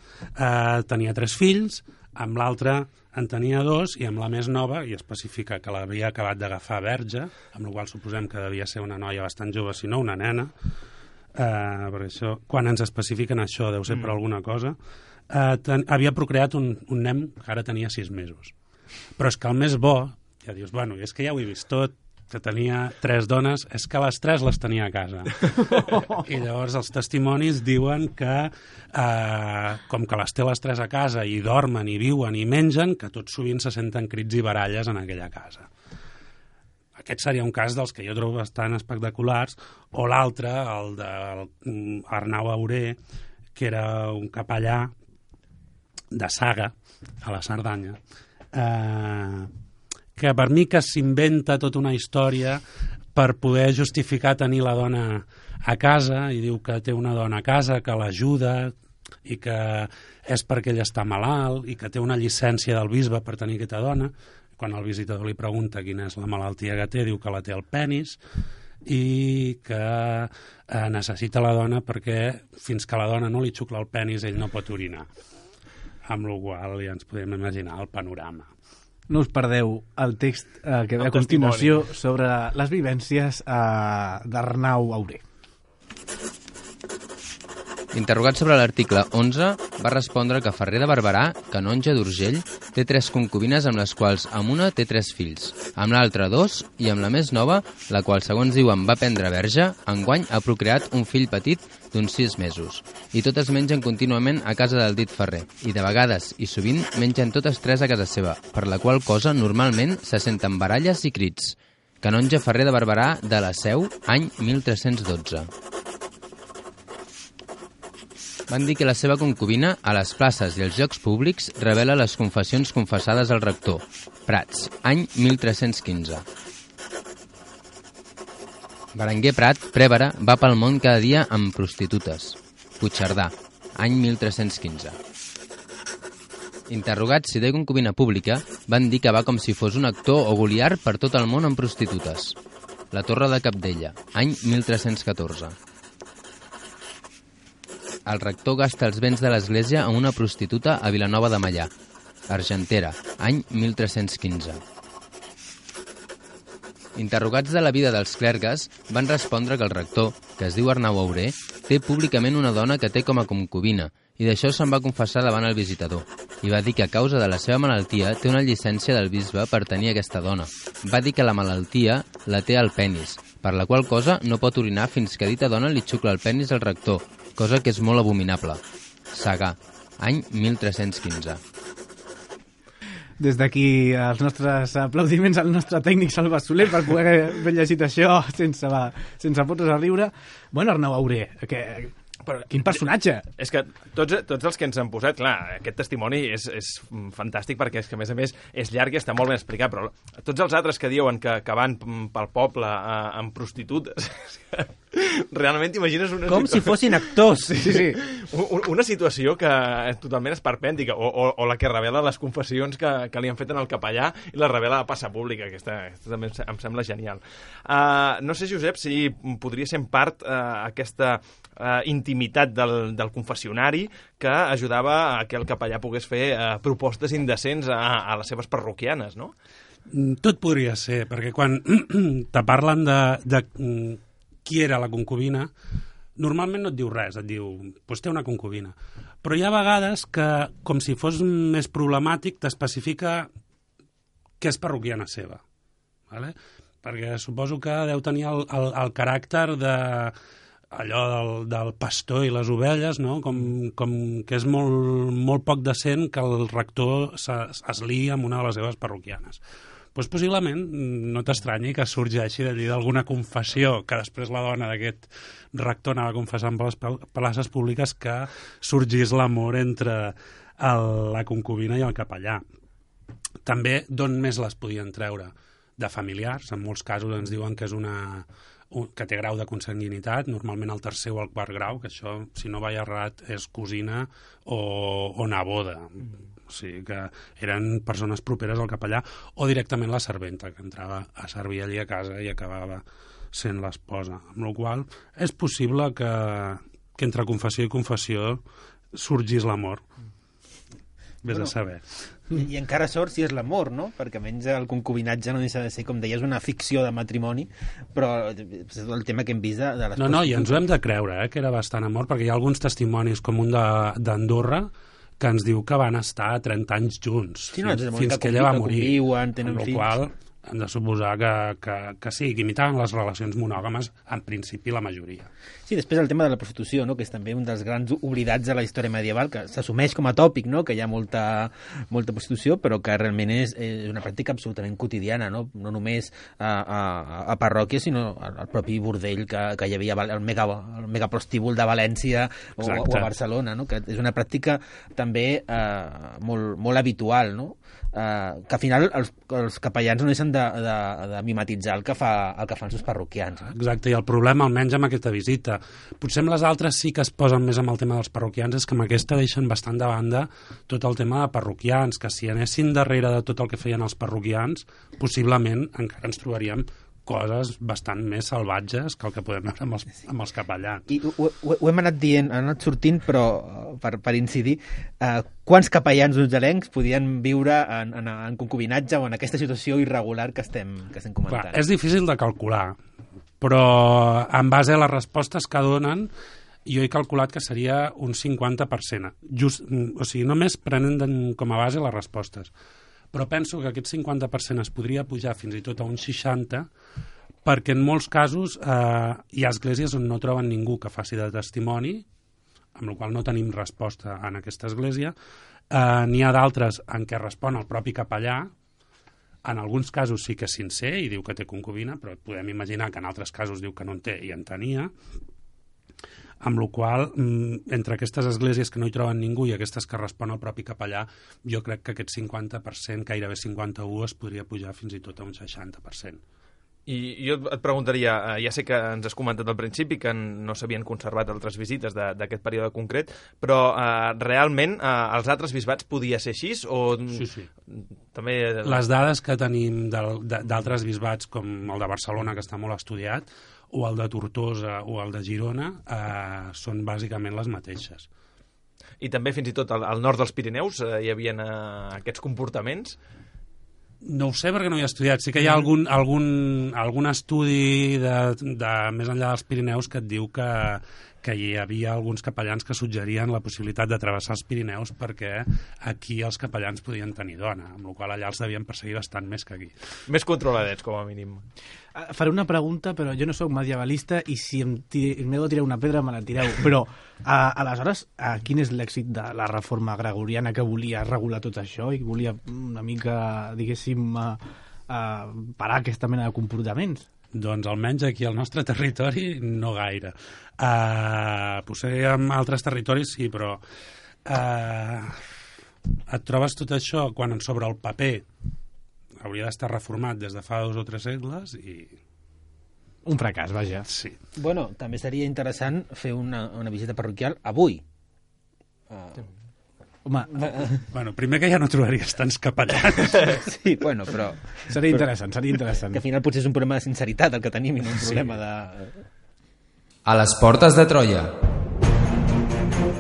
tenia tres fills, amb l'altra en tenia 2 i amb la més nova, i especifica que l'havia acabat d'agafar verge, amb la qual suposem que devia ser una noia bastant jove, si no una nena, per això, quan ens especifiquen això deu ser per alguna cosa, havia procreat un nen que ara tenia 6 mesos. Però és que el més bo, ja dius, bueno, és que ja ho he vist tot, que tenia 3 dones, és que les 3 les tenia a casa. I llavors els testimonis diuen que, com que les té les 3 a casa i dormen i viuen i mengen, que tot sovint se senten crits i baralles en aquella casa. Aquest seria un cas dels que jo trobo bastant espectaculars, o l'altre, el d'Arnau Auré, que era un capellà de Saga, a la Cerdanya, que per mi que s'inventa tota una història per poder justificar tenir la dona a casa, i diu que té una dona a casa que l'ajuda i que és perquè ell està malalt i que té una llicència del bisbe per tenir aquesta dona. Quan el visitador li pregunta quina és la malaltia que té, diu que la té al penis i que necessita la dona perquè fins que la dona no li xucla el penis ell no pot orinar. Amb la qual ja ens podem imaginar el panorama. No us perdeu el text que ve a continuació sobre les vivències d'Arnau Auré. Interrogat sobre l'article 11, va respondre que Ferrer de Barberà, canonge d'Urgell, té 3 concubines amb les quals amb una té 3 fills, amb l'altra 2 i amb la més nova, la qual segons diuen va prendre verge, enguany ha procreat un fill petit d'uns 6 mesos. I totes mengen contínuament a casa del dit Ferrer, i de vegades i sovint mengen totes 3 a casa seva, per la qual cosa normalment se senten baralles i crits. Canonge Ferrer de Barberà de la Seu, any 1312. Van dir que la seva concubina, a les places i als llocs públics, revela les confessions confessades al rector. Prats, any 1315. Berenguer Prat, prèvere, va pel món cada dia amb prostitutes. Puigcerdà, any 1315. Interrogats si té concubina pública, van dir que va com si fos un actor o goliar per tot el món amb prostitutes. La Torre de Cabdella, any 1314. El rector gasta els béns de l'església amb una prostituta a Vilanova de Meià. Argentera, any 1315. Interrogats de la vida dels clergues, van respondre que el rector, que es diu Arnau Auré, té públicament una dona que té com a concubina, i d'això se'n va confessar davant el visitador. I va dir que a causa de la seva malaltia té una llicència del bisbe per tenir aquesta dona. Va dir que la malaltia la té al penis, per la qual cosa no pot orinar fins que dita dona li xucla el penis al rector, cosa que és molt abominable. Sagà, any 1315. Des d'aquí els nostres aplaudiments al nostre tècnic Salva Soler per poder haver llegit això sense fotos a riure. Bueno, Arnau Auré, quin personatge! És que tots els que ens han posat, clar, aquest testimoni és fantàstic perquè és que, a més, és llarg i està molt ben explicat, però tots els altres que diuen que van pel poble amb prostitutes, realment t'imagines una com si fossin actors. Sí. Una situació que totalment esperpèntica, o la que revela les confessions que li han fet en el capellà i la revela a passa pública, aquesta també em sembla genial. No sé, Josep, si podria ser en part aquesta intimitat del confessionari que ajudava a que el capellà pogués fer propostes indecents a les seves parroquianes, no? Tot podria ser, perquè quan te parlen de qui era la concubina, normalment no et diu res, et diu, doncs té una concubina. Però hi ha vegades que, com si fos més problemàtic, t'especifica que és parroquiana seva. ¿Vale? Perquè suposo que deu tenir el caràcter allò del pastor i les ovelles, no? Com que és molt poc decent que el rector es liï amb una de les seves parroquianes. Doncs possiblement no t'estranyi que sorgeixi d'allí d'alguna confessió, que després la dona d'aquest rector anava confessant per les places públiques, que sorgís l'amor entre la concubina i el capellà. També d'on més les podien treure? De familiars, en molts casos ens diuen que és que té grau de consanguinitat, normalment el tercer o el quart grau, que això, si no vaig errat, és cosina o neboda. O sigui que eren persones properes al capellà, o directament la serventa, que entrava a servir allí a casa i acabava sent l'esposa. Amb la qual cosa és possible que entre confessió i confessió sorgís l'amor. vés a saber. I encara sort si és l'amor, no? Perquè almenys el concubinatge no deixa de ser, com deies, una ficció de matrimoni, però és el tema que hem vist de les... No, i ens ho hem de creure, que era bastant amor, perquè hi ha alguns testimonis, com un d'Andorra, que ens diu que van estar 30 anys junts, fins que ella va morir. Conviuen, tenen fills. Qual hem de suposar que sí, que imitaven les relacions monògames, en principi la majoria. Sí, després el tema de la prostitució, no? Que és també un dels grans oblidats de la història medieval, que s'assumeix com a tòpic, no? Que hi ha molta prostitució, però que realment és una pràctica absolutament quotidiana, no només a parròquies, sinó al propi bordell que hi havia, el megaprostíbul de València o a Barcelona, no? Que és una pràctica també molt habitual, no? Que al final els capellans no deixen de mimetitzar el que fan els seus parroquians. Exacte, i el problema, almenys amb aquesta visita, potser amb les altres sí que es posen més amb el tema dels parroquians, és que amb aquesta deixen bastant de banda tot el tema de parroquians, que si anessin darrere de tot el que feien els parroquians, possiblement encara ens trobaríem coses bastant més salvatges que el que podem veure amb els capellans. I ho hem anat dient, ha anat sortint, però per incidir, quants capellans urgelencs podien viure en concubinatge o en aquesta situació irregular que estem comentant? És difícil de calcular, però en base a les respostes que donen, jo he calculat que seria un 50%. O sigui, només prenen com a base les respostes. Però penso que aquest 50% es podria pujar fins i tot a un 60%, perquè en molts casos hi ha esglésies on no troben ningú que faci de testimoni, amb la qual no tenim resposta en aquesta església. N'hi ha d'altres en què respon el propi capellà, en alguns casos sí que és sincer i diu que té concubina, però podem imaginar que en altres casos diu que no en té i en tenia, amb la qual entre aquestes esglésies que no hi troben ningú i aquestes que respon el propi capellà, jo crec que aquest 50%, gairebé 51%, es podria pujar fins i tot a un 60%. I jo et preguntaria, ja sé que ens has comentat al principi que no s'havien conservat altres visites d'aquest període concret, però realment els altres bisbats podia ser així? Sí. També... Les dades que tenim d'altres bisbats, com el de Barcelona, que està molt estudiat, o el de Tortosa o el de Girona, són bàsicament les mateixes. I també fins i tot al nord dels Pirineus hi havia aquests comportaments? No ho sé perquè no hi he estudiat. Sí que hi ha algun estudi de més enllà dels Pirineus que et diu que hi havia alguns capellans que suggerien la possibilitat de travessar els Pirineus perquè aquí els capellans podien tenir dona, amb la qual allà els devien perseguir bastant més que aquí. Més controladets, com a mínim. Faré una pregunta, però jo no sóc medievalista i si m'he de tirar una pedra me la tireu. Però, aleshores, quin és l'èxit de la reforma gregoriana que volia regular tot això i volia una mica, diguéssim, parar aquesta mena de comportaments? Doncs almenys aquí al nostre territori no gaire. Potser en altres territoris sí, però et trobes tot això quan sobre el paper hauria d'estar reformat des de fa 2 o 3 segles i... Un fracàs, vaja. Sí. Bueno, també seria interessant fer una visita parroquial avui. Home, bueno, primer que ja no trobaries tants capellans. Sí, bueno, però... Seria interessant. Que al final potser és un problema de sinceritat el que tenim i no un problema de... A les portes de Troia.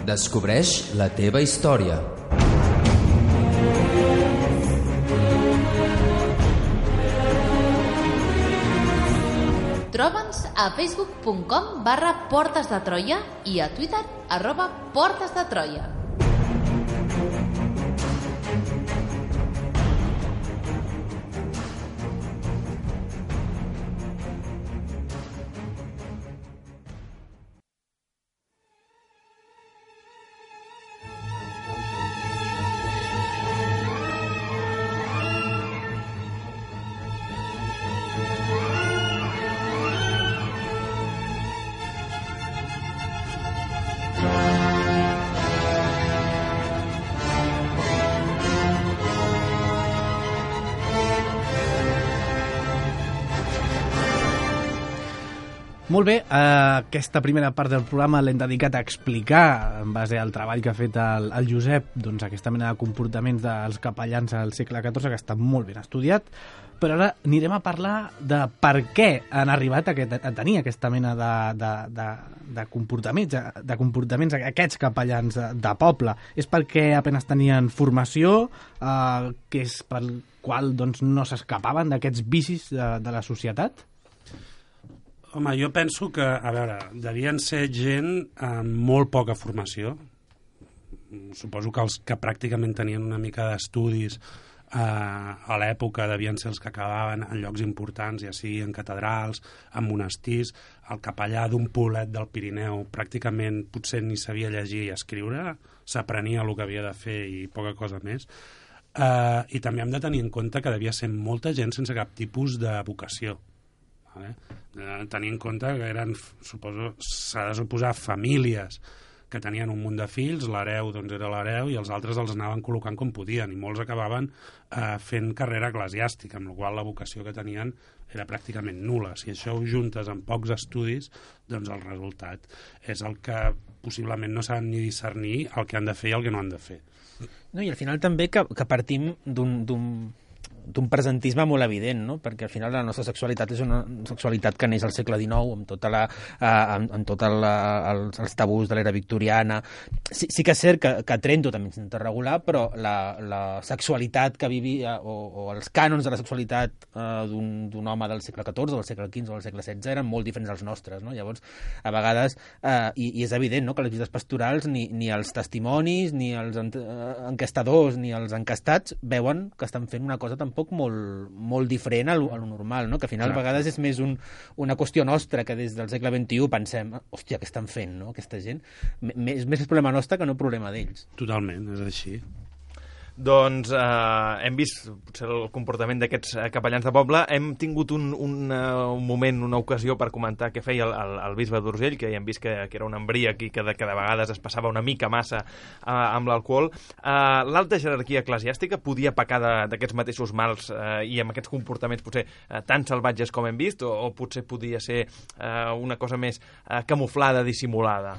Descobreix la teva història. Troba'ns a facebook.com/Portes de Troia i a Twitter @Portes de Troia. Molt bé, aquesta primera part del programa l'hem dedicat a explicar, en base al treball que ha fet el Josep, doncs aquesta mena de comportaments dels capellans al segle XIV, que està molt ben estudiat, però ara anirem a parlar de per què han arribat a tenir aquesta mena de comportaments aquests capellans de poble. És perquè apenas tenien formació, que és pel qual doncs, no s'escapaven d'aquests vicis de la societat? Home, jo penso que, a veure, devien ser gent amb molt poca formació. Suposo que els que pràcticament tenien una mica d'estudis a l'època devien ser els que acabaven en llocs importants, ja sigui en catedrals, en monestirs. El capellà d'un poblet del Pirineu pràcticament potser ni sabia llegir i escriure, s'aprenia el que havia de fer i poca cosa més. I també hem de tenir en compte que devia ser molta gent sense cap tipus de vocació. Tenir en compte que eren, suposo, s'ha de suposar famílies que tenien un munt de fills, l'hereu doncs era l'hereu i els altres els anaven col·locant com podien i molts acabaven fent carrera eclesiàstica, amb la qual la vocació que tenien era pràcticament nul·la. Si això ho juntes amb pocs estudis, doncs el resultat és el que possiblement no saben ni discernir el que han de fer i el que no han de fer. No, i al final també que partim d'un presentisme molt evident, no? Perquè al final la nostra sexualitat és una sexualitat que neix al segle XIX, amb tots els tabús de l'era victoriana. Sí que és cert que Trento també s'intenta regular, però la sexualitat que vivia, o els cànons de la sexualitat d'un home del segle XIV, o del segle XV o del segle XVI, eren molt diferents dels nostres, no? Llavors, a vegades, i és evident, no?, que les visites pastorals, ni els testimonis, ni els enquestadors, ni els encastats veuen que estan fent una cosa tampoc molt diferent a lo normal, no? Que al final a vegades és més una qüestió nostra que des del segle XXI pensem, hòstia, què estan fent, no?, aquesta gent. És més problema nostre que no problema d'ells. Totalment, és així. Doncs hem vist potser el comportament d'aquests capellans de poble. Hem tingut un moment, una ocasió per comentar què feia el bisbe d'Urgell, que ja hem vist que era un embríac i que de vegades es passava una mica massa amb l'alcohol. L'alta jerarquia eclesiàstica podia pecar d'aquests mateixos mals i amb aquests comportaments potser tan salvatges com hem vist, o potser podia ser una cosa més camuflada, dissimulada?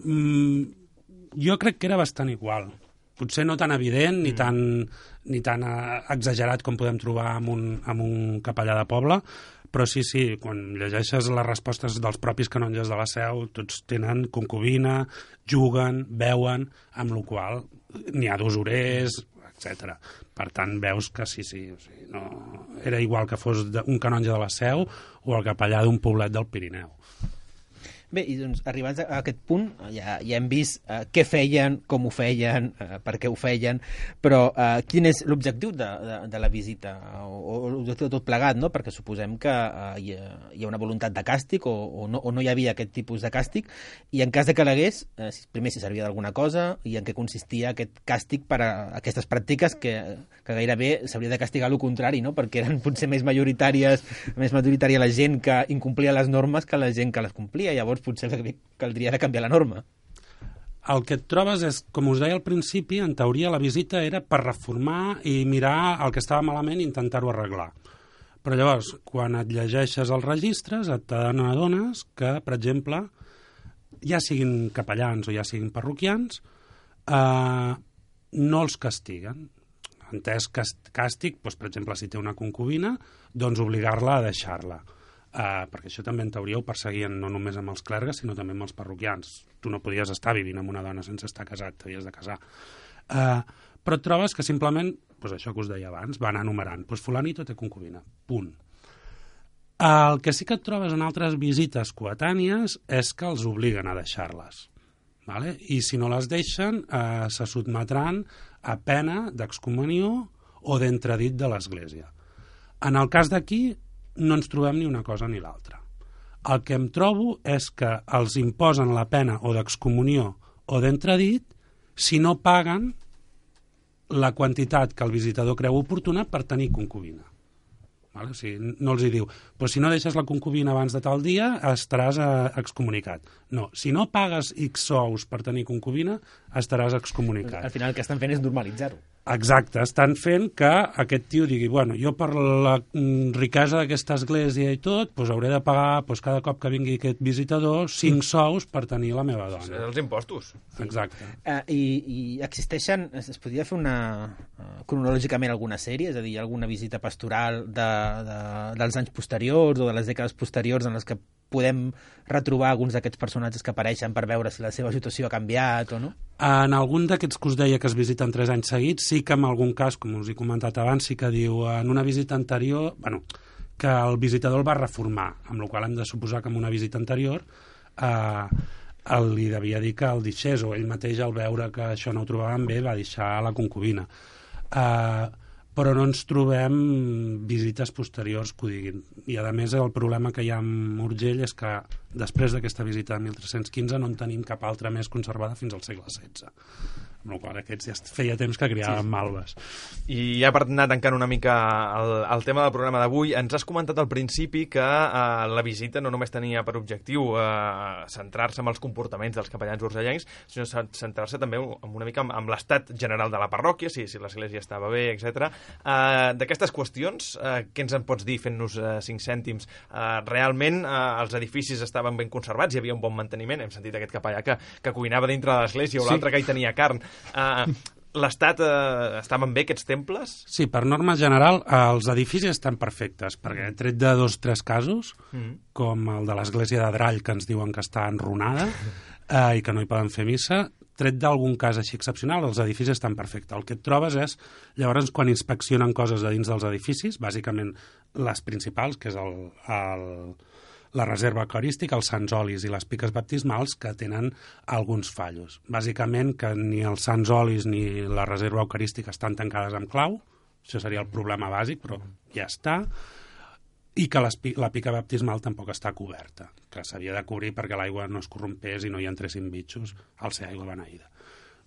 Jo crec que era bastant igual. Potser no tan evident ni tan exagerat com podem trobar amb un capellà de poble, però sí, quan llegeixes les respostes dels propis canonges de la Seu, tots tenen concubina, juguen, beuen, amb la qual n'hi ha d'usurers, etc. Per tant, veus que sí, o sigui, no, era igual que fos un canonge de la Seu o el capellà d'un poblet del Pirineu. Bé, i doncs, arribats a aquest punt, ja hem vist què feien, com ho feien, per què ho feien, però quin és l'objectiu de la visita, o l'objectiu de tot plegat, no? Perquè suposem que hi ha una voluntat de càstig o no hi havia aquest tipus de càstig, i en cas de que l'hagués, primer si servia d'alguna cosa, i en què consistia aquest càstig per a aquestes pràctiques que gairebé s'hauria de castigar el contrari, no? Perquè eren potser més majoritària la gent que incomplia les normes que la gent que les complia. Llavors potser caldria de canviar la norma. El que et trobes és, com us deia al principi, en teoria la visita era per reformar i mirar el que estava malament i intentar-ho arreglar. Però llavors, quan et llegeixes els registres, t'adones que, per exemple, ja siguin capellans o ja siguin parroquians, no els castiguen. Entès càstig, doncs, per exemple, si té una concubina, doncs obligar-la a deixar-la. Perquè això també en teoria ho perseguien no només amb els clergues, sinó també amb els parroquians. Tu no podies estar vivint amb una dona sense estar casat, t'havies de casar. Però et trobes que simplement, doncs això que us deia abans, van enumerant, doncs fulanito té concubina, punt. El que sí que et trobes en altres visites coetànies és que els obliguen a deixar-les. Vale? I si no les deixen, se sotmetran a pena d'excomunió o d'entredit de l'Església. En el cas d'aquí, no ens trobem ni una cosa ni l'altra. El que em trobo és que els imposen la pena o d'excomunió o d'entredit si no paguen la quantitat que el visitador creu oportuna per tenir concubina. Vale? O sigui, no els hi diu, pues si no deixes la concubina abans de tal dia estaràs excomunicat. No, si no pagues X sous per tenir concubina estaràs excomunicat. Al final el que estan fent és normalitzar-ho. Exacte, estan fent que aquest tio digui, bueno, jo per la riquesa d'aquesta església i tot, doncs hauré de pagar cada cop que vingui aquest visitador 5 sous per tenir la meva dona. Els impostos. Exacte. I existeixen, es podria fer cronològicament alguna sèrie, és a dir, alguna visita pastoral dels anys posteriors o de les dècades posteriors en les que podem retrobar alguns d'aquests personatges que apareixen per veure si la seva situació ha canviat o no? En algun d'aquests que us deia que es visiten 3 anys seguits, sí que en algun cas, com us he comentat abans, sí que diu en una visita anterior, que el visitador el va reformar, amb la qual hem de suposar que en una visita anterior li devia dir que el deixés, o ell mateix al veure que això no ho trobaven bé va deixar la concubina. Però no ens trobem visites posteriors que ho diguin. I, a més, el problema que hi ha amb Urgell és que després d'aquesta visita de 1315 no en tenim cap altra més conservada fins al segle XVI. Amb la qual aquests ja feia temps que criaven malves. I ja per anar tancant una mica el tema del programa d'avui, ens has comentat al principi que la visita no només tenia per objectiu centrar-se en els comportaments dels capellans urgellencs, sinó centrar-se també una mica en l'estat general de la parròquia, si l'església estava bé, etc. D'aquestes qüestions, què ens en pots dir fent-nos 5 cèntims? Realment els edificis estaven ben conservats, hi havia un bon manteniment? Hem sentit aquest capellà que cuinava dintre de l'església o l'altre que hi tenia carn. L'estat estaven bé aquests temples? Sí, per norma general els edificis estan perfectes, perquè tret de 2 o 3 casos, com el de l'església de Drall, que ens diuen que està enrunada i que no hi poden fer missa, tret d'algun cas així excepcional, els edificis estan perfectes. El que et trobes és, llavors, quan inspeccionen coses de dins dels edificis, bàsicament les principals, que és la reserva eucarística, els sants olis i les piques baptismals, que tenen alguns fallos. Bàsicament que ni els sants olis ni la reserva eucarística estan tancades amb clau, això seria el problema bàsic, però ja està, i que la pica baptismal tampoc està coberta, que s'havia de cobrir perquè l'aigua no es corrompés i no hi entressin bitxos al ser aigua beneïda.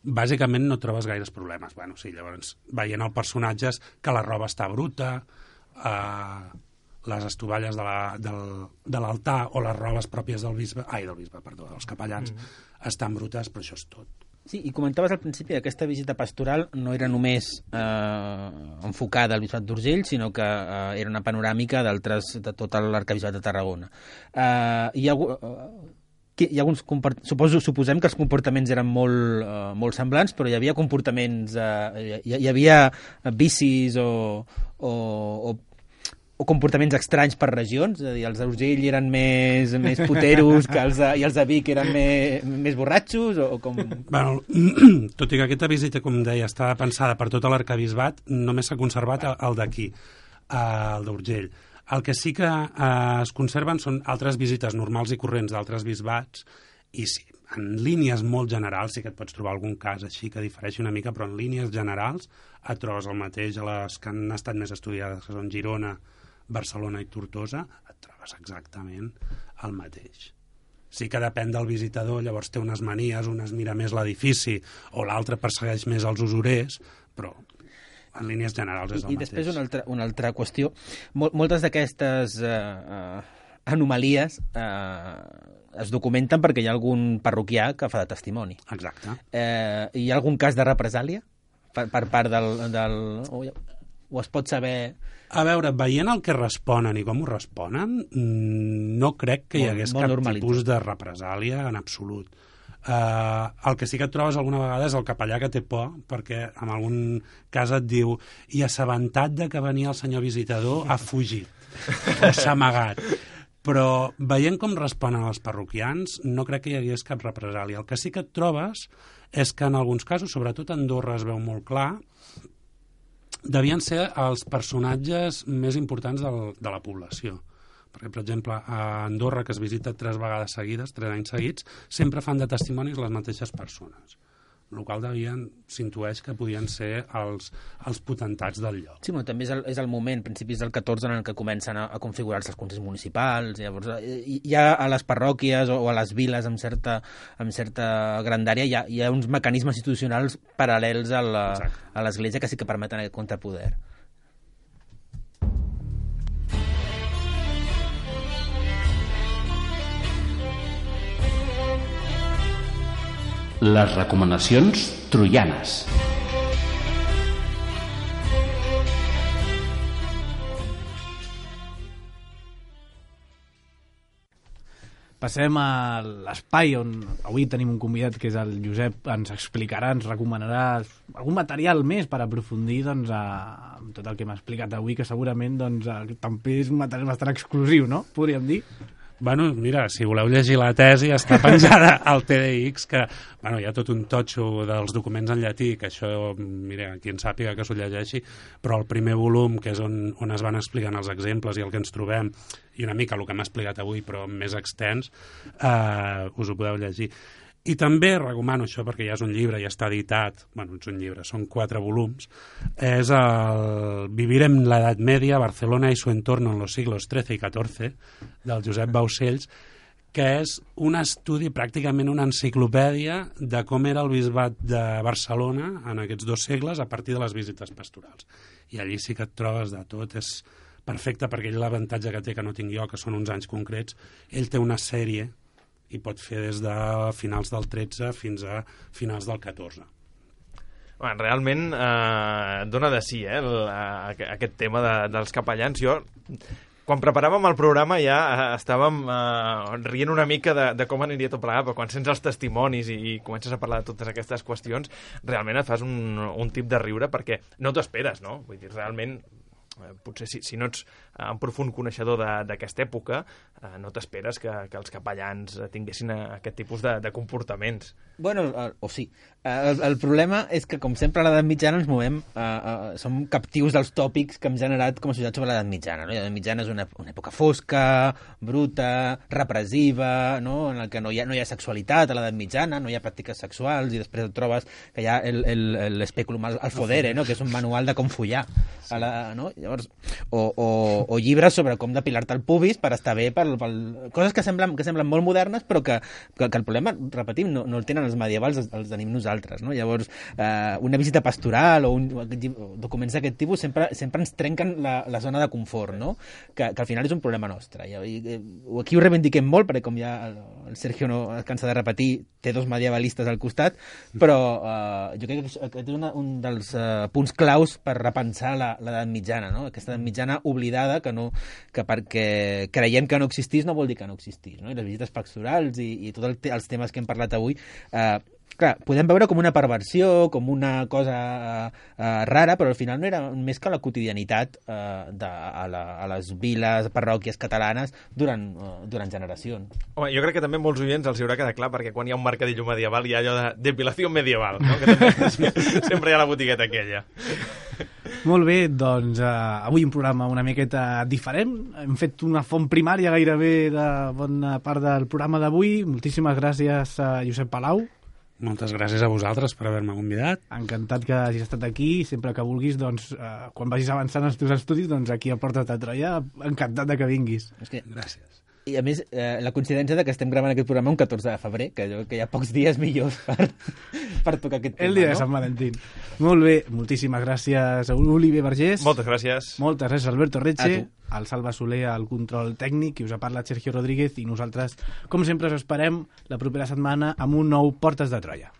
Bàsicament no trobes gaires problemes. Bueno, sí, llavors, veient el personatge que la roba està bruta, les estovalles de l'altar o les robes pròpies dels capellans estan brutes, però això és tot. Sí, i comentaves al principi que aquesta visita pastoral no era només enfocada al Bisbat d'Urgell, sinó que era una panoràmica de tot l'arquebisbat de Tarragona. Hi ha alguns suposem que els comportaments eren molt semblants, però hi havia comportaments, hi havia vicis o comportaments estranys per regions, és a dir, els d'Urgell eren més puteros i els de Vic eren més borratxos, o com... Bueno, tot i que aquesta visita, com deia, estava pensada per tot l'arquebisbat, només s'ha conservat el d'aquí, el d'Urgell. El que sí que es conserven són altres visites normals i corrents d'altres bisbats, i sí, en línies molt generals, sí que et pots trobar algun cas així que difereixi una mica, però en línies generals et trobes el mateix a les que han estat més estudiades, que són Girona, Barcelona i Tortosa, et trobes exactament el mateix. Sí que depèn del visitador, llavors té unes manies, un es mira més l'edifici o l'altre persegueix més els usurers, però en línies generals és el mateix. I després una altra qüestió. Moltes d'aquestes anomalies es documenten perquè hi ha algun parroquià que fa de testimoni. Exacte. Hi ha algun cas de represàlia per part del... O es pot saber... A veure, veient el que responen i com ho responen, no crec que hi hagués cap tipus de represàlia en absolut. El que sí que et trobes alguna vegada és el capellà que té por, perquè en algun cas et diu i assabentat de que venia el senyor visitador ha fugit o s'ha amagat. Però veient com responen els parroquians, no crec que hi hagués cap represàlia. El que sí que et trobes és que en alguns casos, sobretot a Andorra es veu molt clar, devien ser els personatges més importants de la població. Perquè, per exemple, a Andorra, que es visita 3 vegades seguides, 3 anys seguits, sempre fan de testimonis les mateixes persones. El qual s'intueix que podien ser els potentats del lloc. Sí, però també és el moment, principis del 14, en què comencen a configurar-se els consells municipals. Llavors, ja a les parròquies o a les viles amb certa grandària hi ha uns mecanismes institucionals paral·lels a l'Església que sí que permeten aquest contrapoder. Les recomanacions troianes. passem a l'espai on avui tenim un convidat que és el Josep, ens explicarà, ens recomanarà algun material més per aprofundir doncs, amb tot el que m'ha explicat avui, que segurament doncs, també és un material bastant exclusiu, no? Podríem dir. Bueno, mira, si voleu llegir la tesi, està penjada al TDX, que bueno, hi ha tot un totxo dels documents en llatí, que això, mira, qui en sàpiga que s'ho llegeixi, però el primer volum, que és on es van explicant els exemples i el que ens trobem, i una mica el que m'ha explicat avui, però més extens, us ho podeu llegir. I també recomano això, perquè ja és un llibre, ja està editat, bueno, és un llibre, són 4 volums, és el Vivir en la Edad Media, Barcelona y su entorno en los siglos XIII y XIV, del Josep Baucells, que és un estudi, pràcticament una enciclopèdia de com era el bisbat de Barcelona en aquests 2 segles a partir de les visites pastorals. I allí sí que et trobes de tot, és perfecte perquè ell l'avantatge que té, que no tinc jo, que són uns anys concrets, ell té una sèrie i pot fer des de finals del 13 fins a finals del 14. Bueno, realment dona de sí, aquest tema dels capellans. Jo, quan preparàvem el programa ja estàvem rient una mica de com aniria tot plegat, però quan sents els testimonis i comences a parlar de totes aquestes qüestions, realment et fas un tip de riure perquè no t'ho esperes, no? Vull dir, realment potser si no ets un profund coneixedor d'aquesta època, no t'esperes que els capellans tinguessin aquest tipus de comportaments. Bueno, o sí. El problema és que, com sempre, a l'edat mitjana ens movem, som captius dels tòpics que hem generat com a societat sobre l'edat mitjana. No? L'edat mitjana és una època fosca, bruta, repressiva, no? En la que no hi ha sexualitat a l'edat mitjana, no hi ha pràctiques sexuals, i després et trobes que hi ha l'espèculum al fodere, no? Que és un manual de com follar. Sí. No? Llavors, o llibres sobre com depilar-te el pubis per estar bé, coses que semblen molt modernes, però que el problema, repetim, no el tenen els medievals, els tenim nosaltres, no? Llavors, una visita pastoral o documents d'aquest tipus sempre ens trenquen la zona de confort, no? Que al final és un problema nostre. Aquí ho reivindiquem molt, perquè com ja el Sergio no es cansa de repetir, té 2 medievalistes al costat, però jo crec que aquest és un dels punts claus per repensar l'edat mitjana, no? Aquesta edat mitjana oblidada que perquè creiem que no existís no vol dir que no existís, no? I les visites pastorals i tots els temes que hem parlat avui, clar, podem veure com una perversió, com una cosa rara, però al final no era més que la quotidianitat a les viles, parròquies catalanes durant generacions. Home, jo crec que també molts oients els haurà quedat clar, perquè quan hi ha un mercadillo medieval hi ha allò de depilació medieval, no? Que també sempre hi ha la botigueta aquella. Molt bé, doncs avui un programa una miqueta diferent. Hem fet una font primària gairebé de bona part del programa d'avui. Moltíssimes gràcies a Josep Palau. Moltes gràcies a vosaltres per haver-me convidat. Encantat que hagis estat aquí. Sempre que vulguis, doncs, quan vagis avançant els teus estudis, doncs aquí a Porta de Troia, encantat de que vinguis. Gràcies. I a més, la coincidència de que estem gravant aquest programa un 14 de febrer, que hi ha pocs dies millors per tocar aquest tema, el dia de Sant Valentín. Molt bé, moltíssimes gràcies a Oliver Vergés. Moltes gràcies. Moltes gràcies a Alberto Retxe, al Salva Soler, al control tècnic, i us ha parlat Sergio Rodríguez, i nosaltres, com sempre, us esperem la propera setmana amb un nou Portes de Troia.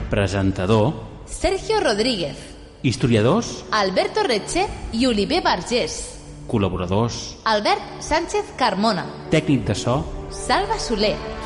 Presentador Sergio Rodríguez. Historiadors Alberto Retxe i Oliver Vergés. Col·laboradors Albert Sánchez Carmona. Tècnic de so Salva Soler.